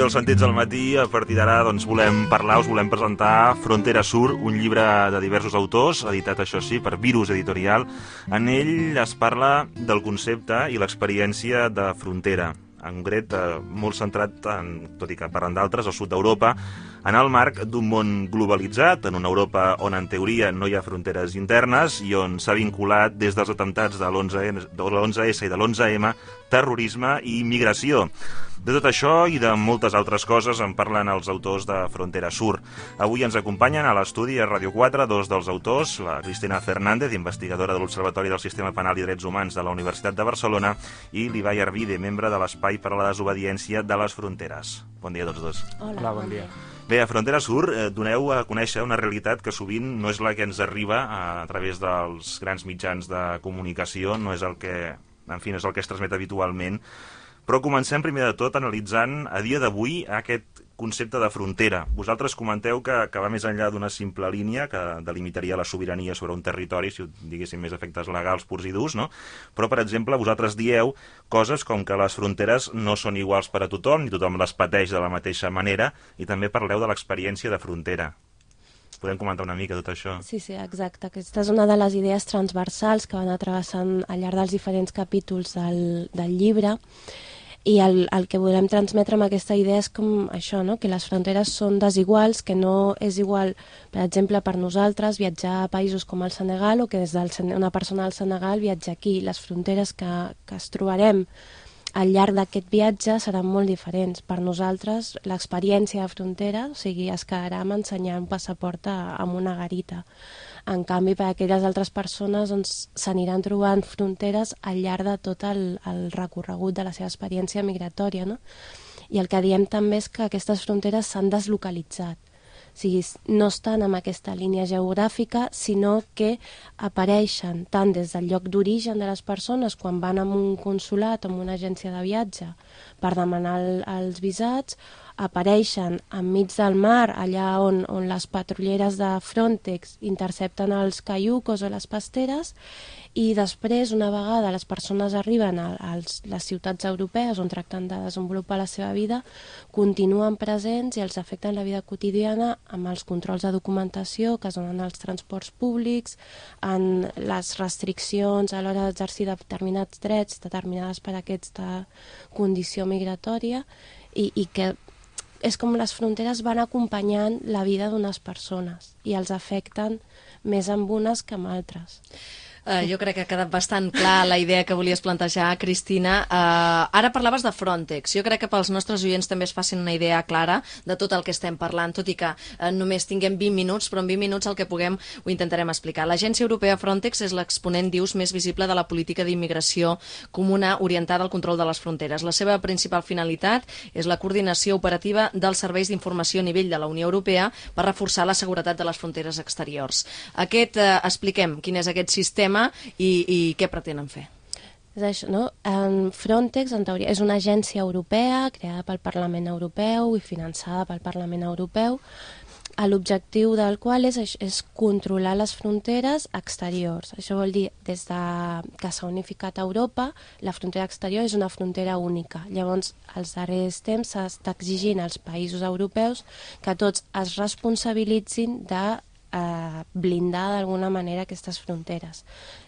els sentits al matí. A partir d'ara volem parlar, us volem presentar Frontera Sur, un llibre de diversos autors, editat, això sí, per Virus Editorial. En ell es parla del concepte i l'experiència de frontera, en concret molt centrat, tot i que parlen d'altres, al sud d'Europa, en el marc d'un món globalitzat, en una Europa on en teoria no hi ha fronteres internes i on s'ha vinculat des dels atemptats de l'11S i de l'11M terrorisme i migració. De tot això i de moltes altres coses en parlen els autors de Frontera Sur. Avui ens acompanyen a l'estudi a Ràdio 4 dos dels autors, la Cristina Fernández, investigadora de l'Observatori del Sistema Penal i Drets Humans de la Universitat de Barcelona, i l'Ibai Arvide, membre de l'Espai per a la Desobediència de les Fronteres. Bon dia a tots dos. Hola, bon dia. Bé, a Frontera Sur doneu a conèixer una realitat que sovint no és la que ens arriba a través dels grans mitjans de comunicació, no és el que, en fi, no és el que es transmet habitualment. Però comencem primer de tot analitzant a dia d'avui aquest concepte de frontera. Vosaltres comenteu que va més enllà d'una simple línia que delimitaria la sobirania sobre un territori, si ho diguéssim més efectes legals purs i durs, no? Però, per exemple, vosaltres dieu coses com que les fronteres no són iguals per a tothom, ni tothom les pateix de la mateixa manera, i també parleu de l'experiència de frontera. Podem comentar una mica tot això? Sí, exacte. Aquesta és una de les idees transversals que van atravessant al llarg dels diferents capítols del llibre, i el que volem transmetre amb aquesta idea és com això, no? Que les fronteres són desiguals, que no és igual, per exemple, per nosaltres viatjar a països com el Senegal o que des d'una persona al Senegal viatjar aquí. Les fronteres que es trobarem al llarg d'aquest viatge seran molt diferents. Per nosaltres, l'experiència de frontera, o sigui, es quedarà amb ensenyar un passaport amb una garita. En canvi, per a aquelles altres persones s'aniran trobant fronteres al llarg de tot el recorregut de la seva experiència migratòria, no? I el que diem també és que aquestes fronteres s'han deslocalitzat. O sigui, no estan en aquesta línia geogràfica, sinó que apareixen tant des del lloc d'origen de les persones quan van a un consulat o a una agència de viatge per demanar els visats, apareixen enmig del mar, allà on les patrulleres de Frontex intercepten els caiucos o les pasteres, i després, una vegada les persones arriben a les ciutats europees on tracten de desenvolupar la seva vida, continuen presents i els afecten la vida quotidiana amb els controls de documentació que es donen als transports públics, en les restriccions a l'hora d'exercir determinats drets determinades per aquesta condició migratòria, i que és com les fronteres van acompanyant la vida d'unes persones i els afecten més amb unes que amb altres. Jo crec que ha quedat bastant clar la idea que volies plantejar, Cristina. Ara parlaves de Frontex. Jo crec que pels nostres oients també es facin una idea clara de tot el que estem parlant, tot i que només tinguem 20 minuts, però en 20 minuts el que puguem ho intentarem explicar. L'Agència Europea Frontex és l'exponent, dius, més visible de la política d'immigració comuna orientada al control de les fronteres. La seva principal finalitat és la coordinació operativa dels serveis d'informació a nivell de la Unió Europea per reforçar la seguretat de les fronteres exteriors. Expliquem quin és aquest sistema i què pretenen fer. És això, no? Frontex, en teoria, és una agència europea creada pel Parlament Europeu i finançada pel Parlament Europeu, l'objectiu del qual és controlar les fronteres exteriors. Això vol dir, des que s'ha unificat Europa, la frontera exterior és una frontera única. Llavors, als darrers temps s'està exigint als països europeus que tots es responsabilitzin de blindar d'alguna manera aquestes fronteres.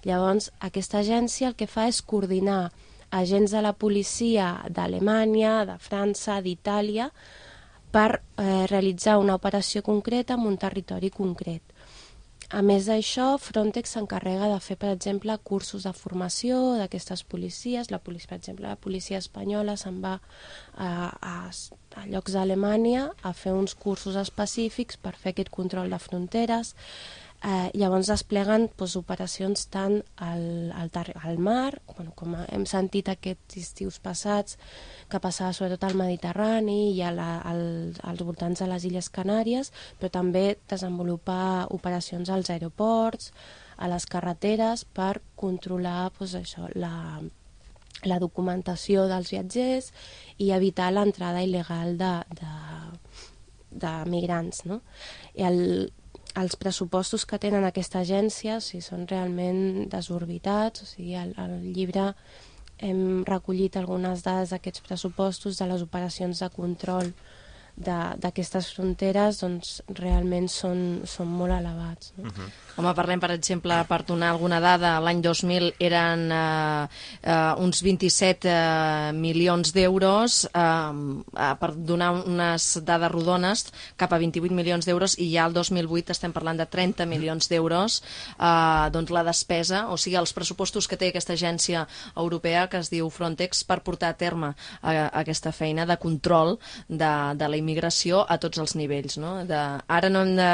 Llavors, aquesta agència el que fa és coordinar agents de la policia d'Alemanya, de França, d'Itàlia, per realitzar una operació concreta en un territori concret. A més d'això, Frontex s'encarrega de fer, per exemple, cursos de formació d'aquestes policies. Per exemple, la policia espanyola se'n va a llocs d'Alemanya a fer uns cursos específics per fer aquest control de fronteres. Llavors despleguen operacions tant al mar, com hem sentit aquests estius passats, que passava sobretot al Mediterrani i als voltants de les Illes Canàries, però també desenvolupar operacions als aeroports, a les carreteres, per controlar la documentació dels viatgers i evitar l'entrada il·legal de migrants, no? Els pressupostos que tenen aquesta agència són realment desorbitats. Al llibre hem recollit algunes dades d'aquests pressupostos, de les operacions de control d'aquestes fronteres doncs, realment són molt elevats. No? Home, parlem, per exemple, per donar alguna dada, l'any 2000 eren uns 27 milions d'euros, per donar unes dades rodones, cap a 28 milions d'euros, i ja el 2008 estem parlant de 30 milions d'euros, doncs la despesa, o sigui, els pressupostos que té aquesta agència europea, que es diu Frontex, per portar a terme aquesta feina de control de la immigració a tots els nivells. No? Ara no hem de...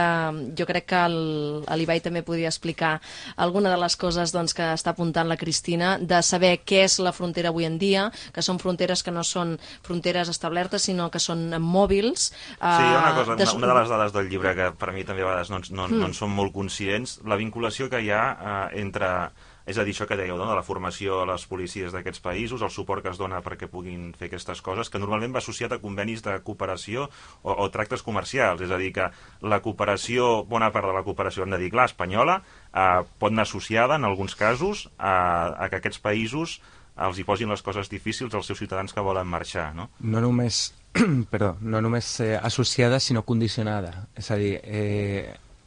Jo crec que l'Ibai també podria explicar alguna de les coses doncs, que està apuntant la Cristina, de saber què és la frontera avui en dia, que són fronteres que no són fronteres establertes, sinó que són mòbils. Sí, hi ha una cosa, una de les dades del llibre que per a mi també a vegades no en som molt conscients, la vinculació que hi ha entre... És a dir, això que dèieu, no? De la formació a les policies d'aquests països, el suport que es dona perquè puguin fer aquestes coses, que normalment va associat a convenis de cooperació o tractes comercials. És a dir, que la cooperació, bona part de la cooperació, hem de dir, clar, espanyola, pot anar associada, en alguns casos, a que aquests països els hi posin les coses difícils als seus ciutadans que volen marxar, no? No només, associada, sinó condicionada. És a dir,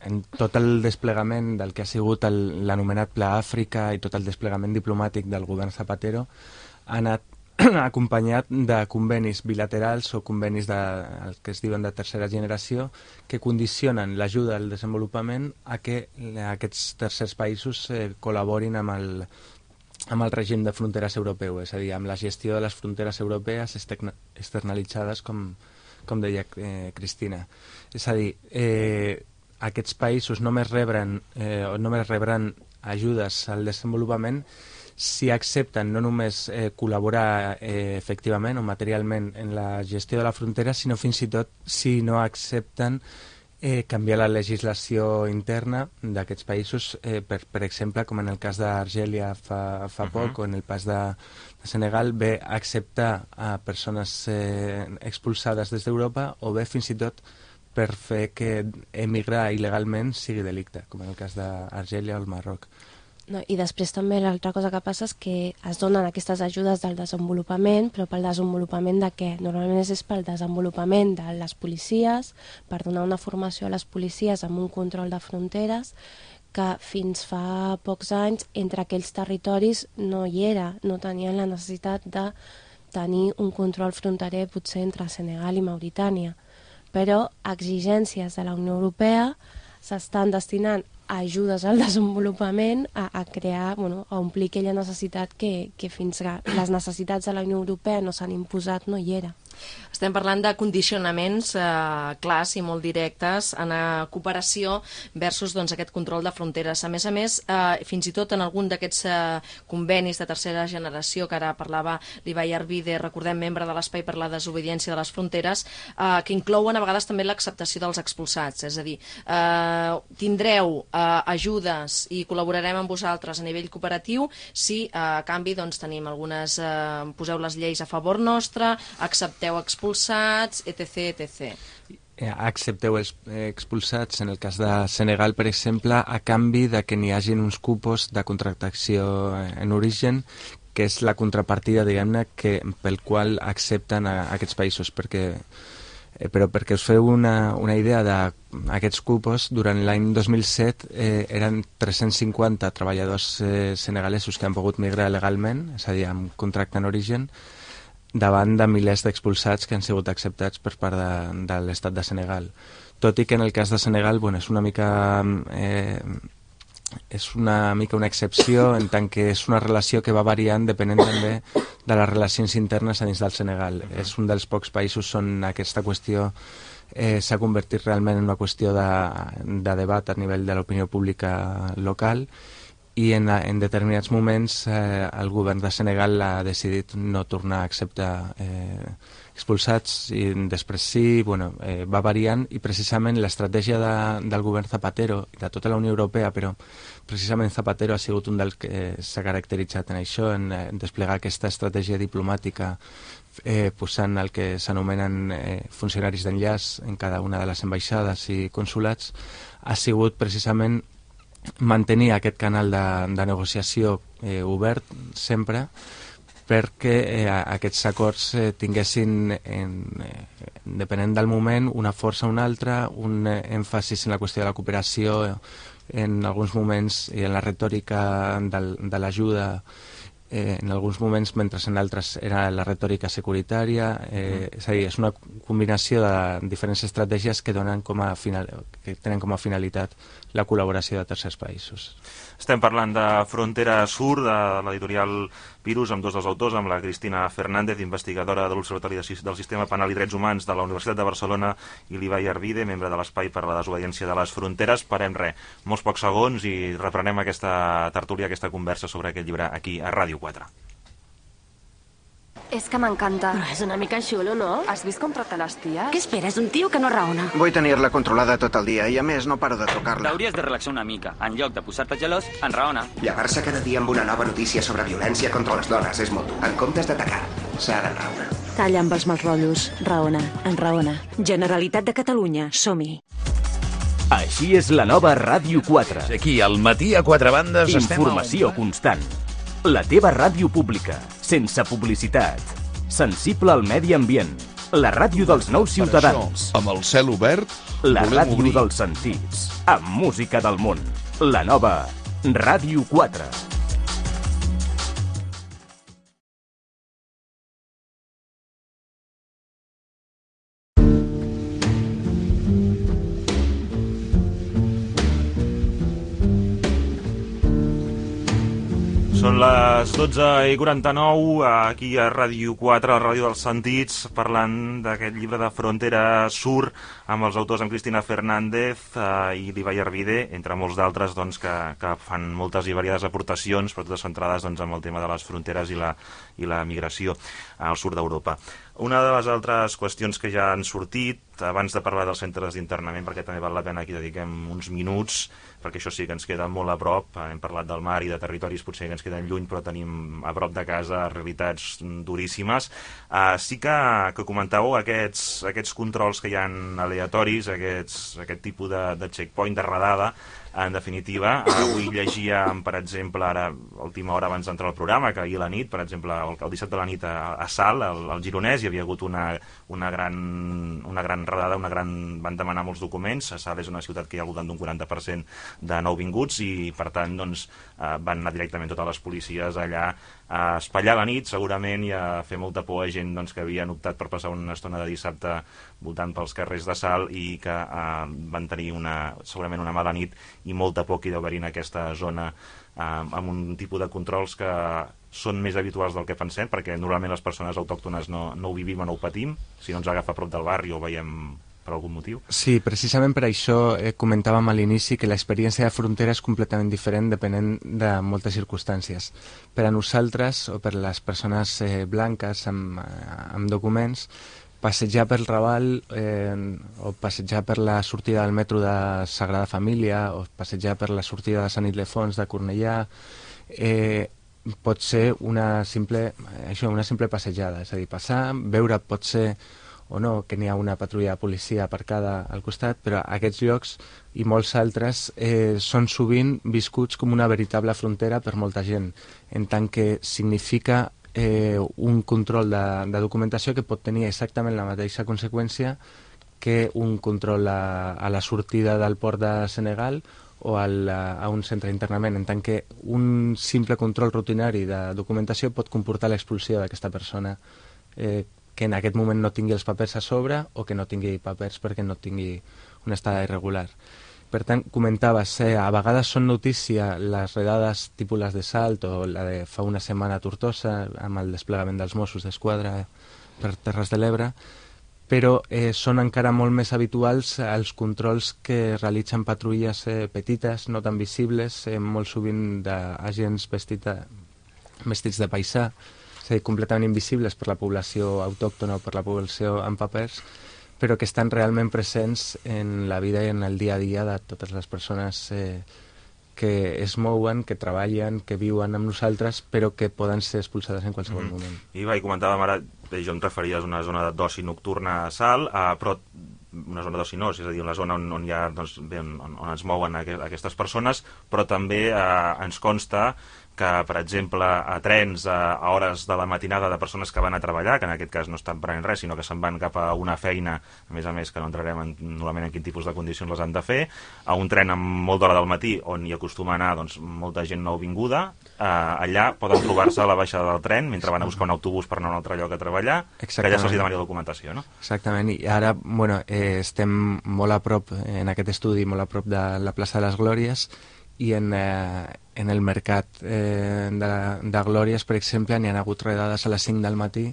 en tot el desplegament del que ha sigut l'anomenat Pla Àfrica i tot el desplegament diplomàtic del govern Zapatero ha anat acompanyat de convenis bilaterals o convenis el que es diuen de tercera generació que condicionen l'ajuda al desenvolupament a que aquests tercers països col·laborin amb el règim de fronteres europeu, és a dir, amb la gestió de les fronteres europees externalitzades, com deia Cristina. És a dir, aquests països només rebran ajudes al desenvolupament si accepten no només col·laborar efectivament o materialment en la gestió de la frontera, sinó fins i tot si no accepten canviar la legislació interna d'aquests països, per exemple, com en el cas d'Argèlia fa poc, o en el cas de Senegal, bé acceptar a persones expulsades des d'Europa, o bé fins i tot per fer que emigrar il·legalment sigui delicte, com en el cas d'Argèlia o el Marroc. No, i després també l'altra cosa que passa és que es donen aquestes ajudes del desenvolupament, però pel desenvolupament de què? Normalment és pel desenvolupament de les policies, per donar una formació a les policies amb un control de fronteres, que fins fa pocs anys entre aquells territoris no hi era, no tenien la necessitat de tenir un control fronterer potser entre Senegal i Mauritània. Però exigències de la Unió Europea s'estan destinant a ajudes al desenvolupament, a crear, a omplir aquella necessitat que fins que les necessitats de la Unió Europea no s'han imposat no hi era. Estem parlant de condicionaments clars i molt directes en cooperació versus aquest control de fronteres. A més, fins i tot en algun d'aquests convenis de tercera generació, que ara parlava l'Ibai Arvide, recordem, membre de l'Espai per la Desobediència de les Fronteres, que inclouen a vegades també l'acceptació dels expulsats. És a dir, tindreu ajudes i col·laborarem amb vosaltres a nivell cooperatiu si a canvi tenim algunes, poseu les lleis a favor nostre, accepteu expulsats, etc. Accepteu expulsats, en el cas de Senegal, per exemple, a canvi de que n'hi hagin uns cupos de contractació en origen, que és la contrapartida, diguem-ne, pel qual accepten aquests països, però perquè us feu una idea d'aquests cupos, durant l'any 2007 eren 350 treballadors senegalesos que han pogut migrar legalment, és a dir, amb contracte en origen, davant de milers d'expulsats que han sigut acceptats per part de l'estat de Senegal. Tot i que en el cas de Senegal és una mica una excepció, en tant que és una relació que va variant depenent també de les relacions internes a dins del Senegal. És un dels pocs països on aquesta qüestió s'ha convertit realment en una qüestió de debat a nivell de l'opinió pública local, i en determinats moments el govern de Senegal ha decidit no tornar a acceptar expulsats, i després sí, va variant, i precisament l'estratègia del govern Zapatero i de tota la Unió Europea, però precisament Zapatero ha sigut un dels que s'ha caracteritzat en això, en desplegar aquesta estratègia diplomàtica posant el que s'anomenen funcionaris d'enllaç en cada una de les ambaixades i consulats, ha sigut precisament mantenir aquest canal de negociació obert sempre, perquè aquests acords tinguessin, depenent del moment, una força o una altra, un èmfasis en la qüestió de la cooperació, en alguns moments, i en la retòrica de l'ajuda, en alguns moments, mentre en altres era la retòrica securitària. És a dir, és una combinació de diferents estratègies que tenen com a finalitat la col·laboració de tercers països. Estem parlant de Frontera Sur, de l'editorial Virus, amb dos dels autors, amb la Cristina Fernández, investigadora de l'Observatori del Sistema Penal i Drets Humans de la Universitat de Barcelona, i l'Ibai Arvide, membre de l'Espai per la Desobediència de les Fronteres. Parem molts pocs segons i reprenem aquesta tertúlia, aquesta conversa sobre aquest llibre aquí a Ràdio 4. És que m'encanta. Però és una mica xulo, no? Has vist com tracta les ties? Què esperes, un tio que no raona? Vull tenir-la controlada tot el dia i, a més, no paro de trucar-la. T'hauries de relaxar una mica. En lloc de posar-te gelós, enraona. Llevar-se cada dia amb una nova notícia sobre violència contra les dones és molt dur. En comptes d'atacar, s'ha d'enraonar. Talla amb els mals rotllos. Raona, enraona. Generalitat de Catalunya, som-hi. Així és la nova Ràdio 4. Aquí, al matí a quatre bandes, Informació constant. La teva ràdio pública, sense publicitat. Sensible al medi ambient. La ràdio dels nous ciutadans. Això, amb el cel obert, la ràdio dels sentits. Amb música del món. La nova Ràdio 4. Són les 12:49, aquí a Ràdio 4, a la ràdio dels sentits, parlant d'aquest llibre de Frontera Sur, amb els autors, amb Cristina Fernández i l'Ibai Arvide, entre molts d'altres doncs, que fan moltes i variades aportacions, però totes centrades doncs, amb el tema de les fronteres i la migració al sud d'Europa. Una de les altres qüestions que ja han sortit, abans de parlar dels centres d'internament, perquè també val la pena que hi dediquem uns minuts, perquè això sí que ens queda molt a prop, hem parlat del mar i de territoris potser que ens queden lluny, però tenim a prop de casa realitats duríssimes. Sí que comentàveu aquests controls que hi ha aleatoris, aquest tipus de checkpoint, de radada. En definitiva, avui llegíem, per exemple, ara, a última hora abans d'entrar al programa, que ahir a la nit, per exemple, el dissabte a la nit a Salt, al Gironès, hi havia hagut una gran radada, van demanar molts documents. A Salt és una ciutat que hi ha al voltant d'un 40% de nouvinguts i, per tant, doncs, van anar directament totes les policies allà a espatllar la nit, segurament, i a fer molta por a gent doncs, que havien optat per passar una estona de dissabte voltant pels carrers de Salt i que van tenir segurament una mala nit i molta por que hi deu haver en aquesta zona, amb un tipus de controls que són més habituals del que pensem, perquè normalment les persones autòctones no ho vivim o no ho patim, si no ens agafa a prop del barri o veiem per algun motiu. Sí, precisament per això comentàvem a l'inici que l'experiència de frontera és completament diferent depenent de moltes circumstàncies. Per a nosaltres, o per les persones blanques amb documents, passejar pel Raval o passejar per la sortida del metro de Sagrada Família o passejar per la sortida de Sant Ildefons de Cornellà pot ser una simple passejada, és a dir, passar, veure potser o no que n'hi ha una patrulla de policia aparcada al costat, però aquests llocs i molts altres són sovint viscuts com una veritable frontera per molta gent, en tant que significa un control de documentació que pot tenir exactament la mateixa conseqüència que un control a la sortida del port de Senegal o a un centre d'internament, en tant que un simple control rutinari de documentació pot comportar l'expulsió d'aquesta persona que en aquest moment no tingui els papers a sobre o que no tingui papers perquè no tingui una estada irregular. Per tant, comentaves, a vegades són notícia les redades tipus les de Salt o la de fa una setmana a Tortosa amb el desplegament dels Mossos d'Esquadra per Terres de l'Ebre, però són encara molt més habituals els controls que realitzen patrulles petites, no tan visibles, molt sovint d'agents vestits de paisà, és a dir, completament invisibles per la població autòctona o per la població amb papers, però que estan realment presents en la vida i en el dia a dia de totes les persones que es mouen, que treballen, que viuen amb nosaltres, però que poden ser expulsades en qualsevol moment. I comentàvem ara, jo em referia a una zona d'oci nocturna a Salt, però una zona d'oci no, és a dir, una zona on hi ha, doncs, on es mouen aquestes persones, però també ens consta que, per exemple, a trens a hores de la matinada de persones que van a treballar, que en aquest cas no estan prenent res, sinó que se'n van cap a una feina, a més que no entrarem normalment en quin tipus de condicions les han de fer, a un tren amb molt d'hora del matí, on hi acostuma a anar doncs, molta gent nouvinguda, allà poden trobar-se a la baixada del tren, mentre van a buscar un autobús per anar a un altre lloc a treballar, que allà se'ls demani la documentació, no? Exactament, i ara, estem molt a prop, en aquest estudi, molt a prop de la plaça de les Glòries, i en el mercat de Glòries, per exemple, n'hi ha hagut redades a les 5 del matí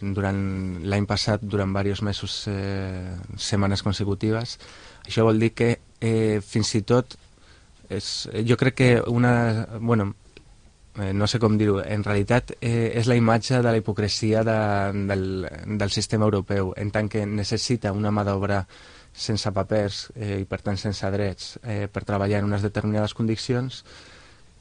durant l'any passat, durant diversos mesos, setmanes consecutives. Això vol dir que fins i tot jo crec que no sé com dir-ho, en realitat és la imatge de la hipocresia del sistema europeu, en tant que necessita una mà d'obra sense papers i per tant sense drets per treballar en unes determinades condicions,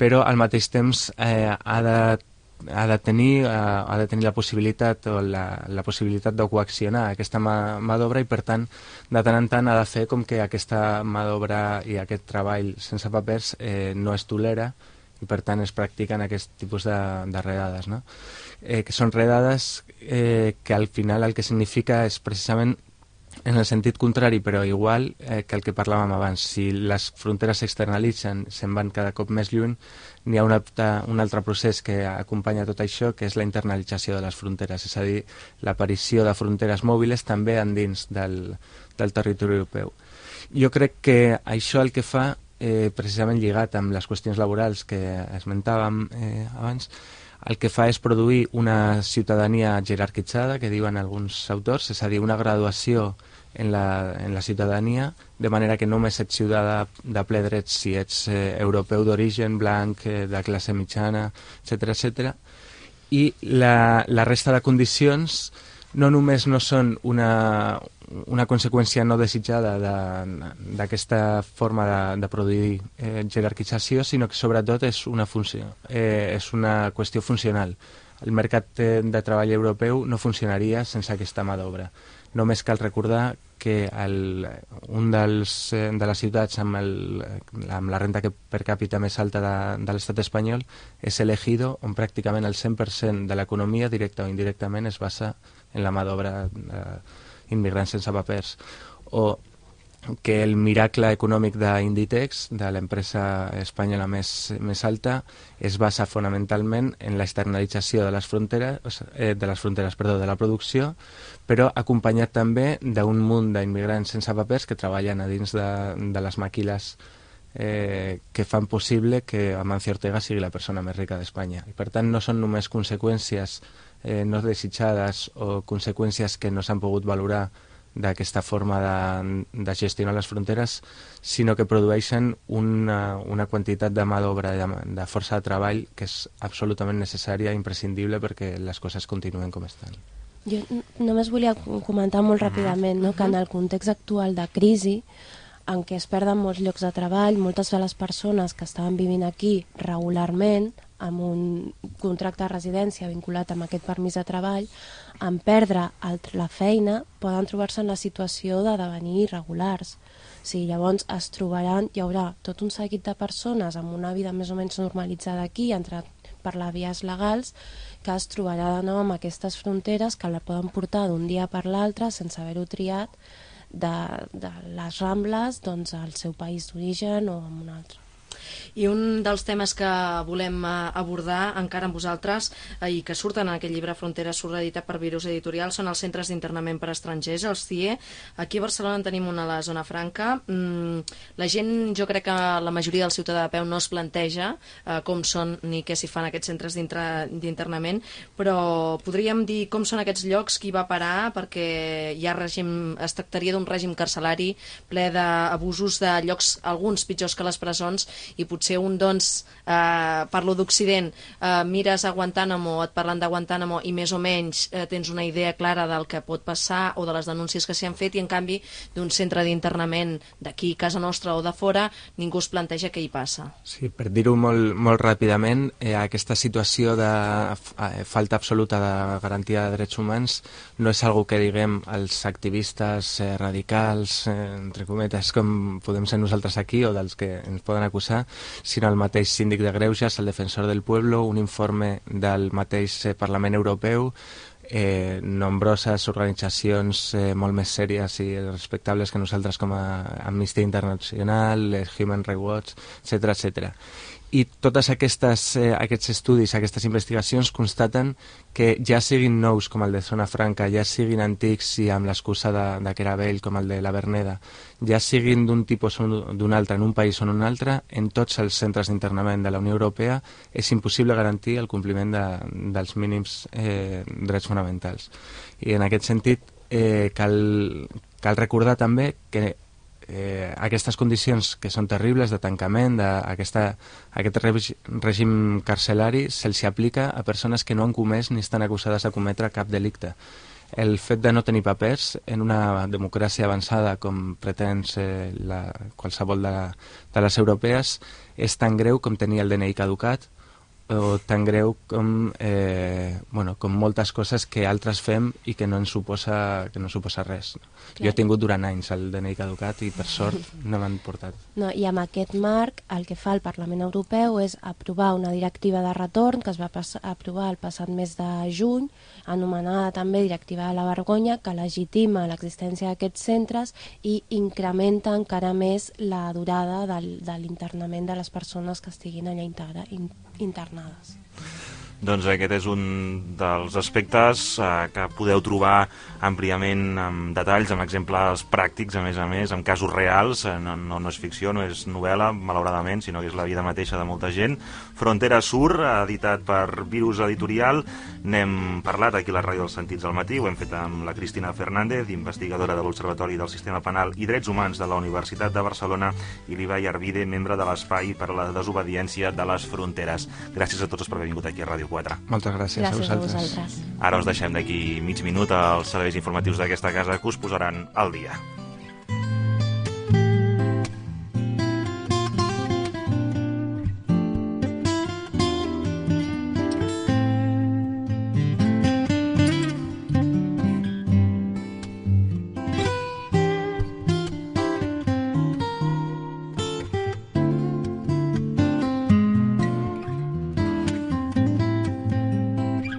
però al mateix temps ha de tenir la possibilitat o la possibilitat de coaccionar aquesta mà d'obra, i per tant de tant en tant ha de fer com que aquesta mà d'obra i aquest treball sense papers no es tolera, i per tant es practiquen aquest tipus de redades, no? Que són redades que al final el que significa és precisament en el sentit contrari, però igual que el que parlàvem abans. Si les fronteres s'externalitzen, se'n van cada cop més lluny, n'hi ha un altre procés que acompanya tot això, que és la internalització de les fronteres, és a dir, l'aparició de fronteres mòbiles també endins del territori europeu. Jo crec que això el que fa, precisament lligat amb les qüestions laborals que esmentàvem abans, el que fa és produir una ciutadania jerarquitzada, que diuen alguns autors, és a dir, una graduació en la ciutadania, de manera que només ets ciutadà de ple dret si ets europeu d'origen, blanc, de classe mitjana, etc. I la resta de condicions no només no són una conseqüència no desitjada d'aquesta forma de produir jerarquització, sinó que sobretot és una qüestió funcional. El mercat de treball europeu no funcionaria sense aquesta mà d'obra. Només cal recordar que un de les ciutats amb la renta per càpita més alta de l'estat espanyol és el Ejido, on pràcticament el 100% de l'economia, directa o indirectament, es basa en la mà d'obra immigrants sense papers. O que el miracle econòmic d'Inditex, de l'empresa espanyola més alta, es basa fonamentalment en l'externalització de la producció, però acompanyat també d'un munt d'immigrants sense papers que treballen a dins de les màquines que fan possible que Amancio Ortega sigui la persona més rica d'Espanya. I per tant no són només conseqüències no desitjades o conseqüències que no s'han pogut valorar d'aquesta forma de gestionar les fronteres, sinó que produeixen una quantitat de mà d'obra, de força de treball, que és absolutament necessària i imprescindible perquè les coses continuen com estan. Jo només volia comentar molt ràpidament, no?, que en el context actual de crisi, en què es perden molts llocs de treball, moltes de les persones que estaven vivint aquí regularment, amb un contracte de residència vinculat amb aquest permís de treball, en perdre la feina, poden trobar-se en la situació de devenir irregulars. O sigui, llavors hi haurà tot un seguit de persones amb una vida més o menys normalitzada aquí, entrat per les vies legals, que es trobarà de nou amb aquestes fronteres que la poden portar d'un dia per l'altre sense haver-ho triat de les Rambles al seu país d'origen o en un altre. I un dels temes que volem abordar encara amb vosaltres i que surten en aquest llibre Fronteres Sur, editat per Virus Editorial, són els centres d'internament per estrangers, els CIE. Aquí a Barcelona en tenim una a la Zona Franca. La gent, jo crec que la majoria del ciutadà de peu no es planteja com són ni què s'hi fan aquests centres d'internament, però podríem dir com són aquests llocs, qui va parar, perquè hi ha es tractaria d'un règim carcelari ple d'abusos de llocs, alguns pitjors que les presons, i potser un, doncs, parlo d'Occident, mires a Guantánamo, et parlen de Guantánamo i més o menys tens una idea clara del que pot passar o de les denúncies que s'hi han fet, i en canvi d'un centre d'internament d'aquí, casa nostra o de fora, ningú es planteja què hi passa. Sí, per dir-ho molt ràpidament, aquesta situació de falta absoluta de garantia de drets humans no és algo que diguem els activistes radicals, entre cometes, com podem ser nosaltres aquí, o dels que ens poden acusar acusar, sinó el mateix síndic de Greuges, el defensor del pueblo, un informe del mateix Parlament Europeu, nombroses organitzacions molt més sèries i respectables que nosaltres com a Amnistia Internacional, Human Rights Watch, etc. I tots aquests estudis, aquestes investigacions constaten que ja siguin nous com el de Zona Franca, ja siguin antics i amb l'excusa de que era vell com el de la Verneda, ja siguin d'un tipus o d'un altre, en un país o en un altre, en tots els centres d'internament de la Unió Europea és impossible garantir el compliment dels mínims drets fonamentals. I en aquest sentit cal recordar també que aquestes condicions que són terribles de tancament, aquest règim carcelari se'ls aplica a persones que no han comès ni estan acusades de cometre cap delicte. El fet de no tenir papers en una democràcia avançada com pretén ser qualsevol de les europees és tan greu com tenir el DNI caducat o tan greu com moltes coses que altres fem i que no ens suposa res. Jo he tingut durant anys el DNI caducat i per sort no m'han portat. No, i amb aquest marc el que fa el Parlament Europeu és aprovar una directiva de retorn que es va aprovar el passat mes de juny, anomenada també Directiva de la Vergonya, que legitima l'existència d'aquests centres i incrementa encara més la durada de l'internament de les persones que estiguin allà internades. Doncs aquest és un dels aspectes que podeu trobar àmpliament amb detalls, amb exemples pràctics, a més, amb casos reals. No és ficció, no és novel·la, malauradament, sinó que és la vida mateixa de molta gent. Frontera Sur, editat per Virus Editorial. N'hem parlat aquí a la Ràdio dels Sentits al matí, ho hem fet amb la Cristina Fernández, investigadora de l'Observatori del Sistema Penal i Drets Humans de la Universitat de Barcelona, i l'Ibai Arvide, membre de l'Espai per a la Desobediència de les Fronteres. Gràcies a tots per haver vingut aquí a Ràdio 4. Moltes gràcies a vosaltres. Ara us deixem d'aquí mig minut als serveis informatius d'aquesta casa que us posaran al dia.